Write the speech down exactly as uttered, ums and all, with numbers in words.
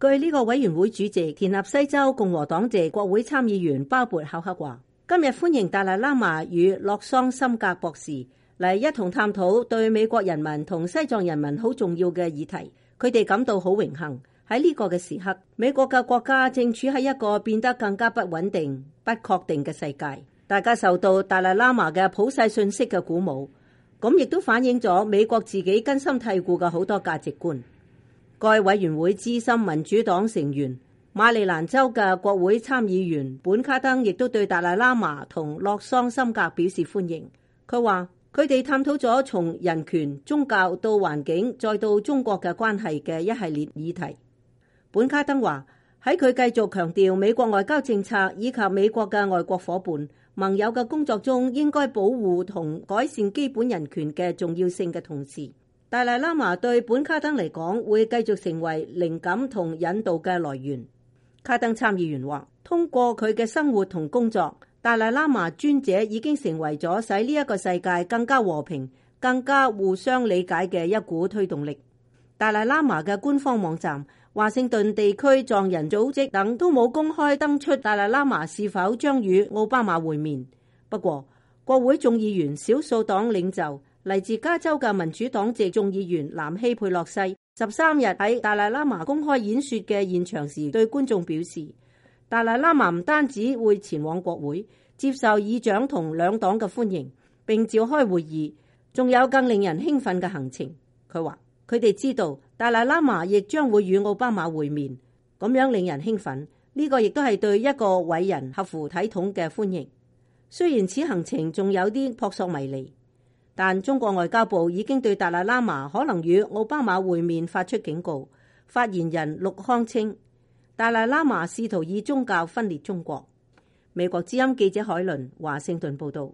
據呢個委員會主席田納西州共和黨籍國會參議員鮑勃考克話，今日歡迎達賴喇嘛與洛桑森格博士嚟一同探討對美國人民同西藏人民好重要嘅議題。佢哋感到好榮幸，喺呢個嘅時刻，美國嘅國家正處喺一個變得更加不穩定、不確定嘅世界。大家受到達賴喇嘛嘅普世信息嘅鼓舞，咁亦都反映咗美國自己根深蒂固嘅好多價值觀。該委員會資深民主黨成員馬里蘭州嘅國會參議員本卡登亦都對達賴喇嘛同洛桑森格表示歡迎。佢話佢哋探討咗從人權、宗教到環境再到中國嘅關係嘅一系列議題。本卡登話喺佢繼續強調美國外交政策以及美國嘅外國夥伴、盟友嘅工作中應該保護同改善基本人權嘅重要性嘅同時，達賴喇嘛對本卡登嚟講會繼續成為靈感同引導嘅來源。卡登參議員話，通過佢嘅生活同工作，達賴喇嘛尊者已經成為咗使呢一個世界更加和平、更加互相理解嘅一股推動力。達賴喇嘛嘅官方網站、華盛頓地區藏人組織等都冇公開登出達賴喇嘛是否將與奧巴馬會面。不過，國會眾議員少數黨領袖嚟自加州嘅民主黨籍眾議員南希佩洛西十三日喺達賴喇嘛公開演說嘅現場時，對觀眾表示，達賴喇嘛唔單止會前往國會接受議長同兩黨嘅歡迎，並召開會議，仲有更令人興奮嘅行程。佢話佢哋知道達賴喇嘛亦將會與奧巴馬會面，咁樣令人興奮。呢個亦都係對一個偉人合乎體統嘅歡迎。雖然此行程仲有啲撲朔迷離，但中國外交部已經對達賴喇嘛可能與奧巴馬會面發出警告。發言人陸康稱，達賴喇嘛試圖以宗教分裂中國。美國之音記者海倫華盛頓報道。